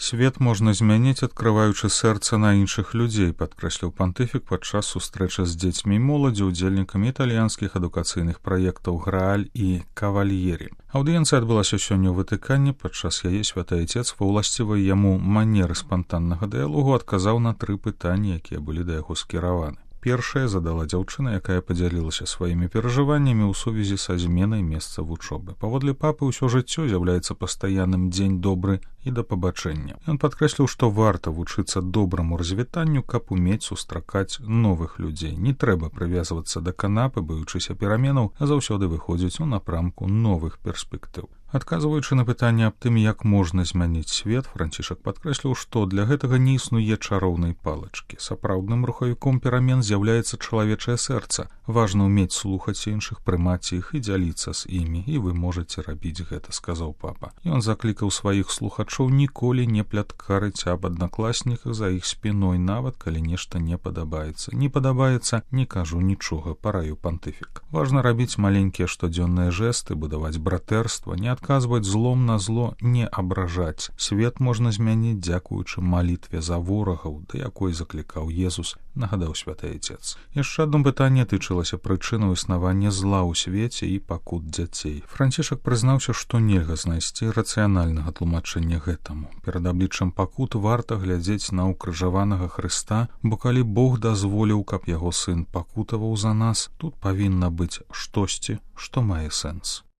Свет можна змяніць, адкрываючы сэрца на іншых людзей, падкрэсліў пантыфік падчас сустрэчы з дзецьмі і моладзю, удзельнікамі італьянскіх адукацыйных праектаў «Грааль» і «Кавальері». Аўдыенцыя адбылася сёння ў Ватыкане. Падчас яе святы айцец ва ўласцівай яму манеры спантаннага дыялогу адказаў на 3 пытанні, якія былі да яго скіраваны. Першае задала дзяўчына, якая падзялілася сваімі перажываннямі ў сувязі са зменай месца вучобы. Паводле папы, ўсё жыццё з'яўляецца пастаянным дзень добры і да пабачэння. Ён падкрэсліў, што варта вучыцца добраму развітанню, каб умець сустракаць новых людзей. Не трэба прывязвацца да канапы, баючыся пераменаў, а заўсёды выходзіць у напрамку новых перспектыў. Адказваючы на пытанне аб тым, як можна змяніць свет, Францішак падкрэсліў, што для гэтага не існуе чароўнай палачкі. Сапраўдным рухавіком перамен з'яўляецца чалавечае сэрца. Важна ўмець слухаць іншых, прымаць іх і дзяліцца з імі, і вы можаце рабіць гэта, сказаў папа. Ён заклікаў сваіх слухачоў ніколі не пляткарыць аб аднакласніках за іх спіной, нават калі нешта не падабаецца. Не падабаецца, не кажу нічога, параіў пантыфік. Важна рабіць маленькія штодзённыя жэсты, будаваць братэрства, не адказваць злом на зло, не абражаць. Свет можна змяніць дзякуючы малітве за ворагаў, да якой заклікаў Езус, нагадаў святы айцец. Яшчэ адно пытанне тычылася прычынаў існавання зла ў свеце і пакут дзяцей. Францішак прызнаўся, што нельга знайсці рацыянальнага тлумачэння гэтаму. Перад абліччам пакут варта глядзець на ўкрыжаванага Хрыста, бо калі Бог дазволіў, каб яго сын пакутаваў за нас, тут павінна быць штосьці, што мае сэнс.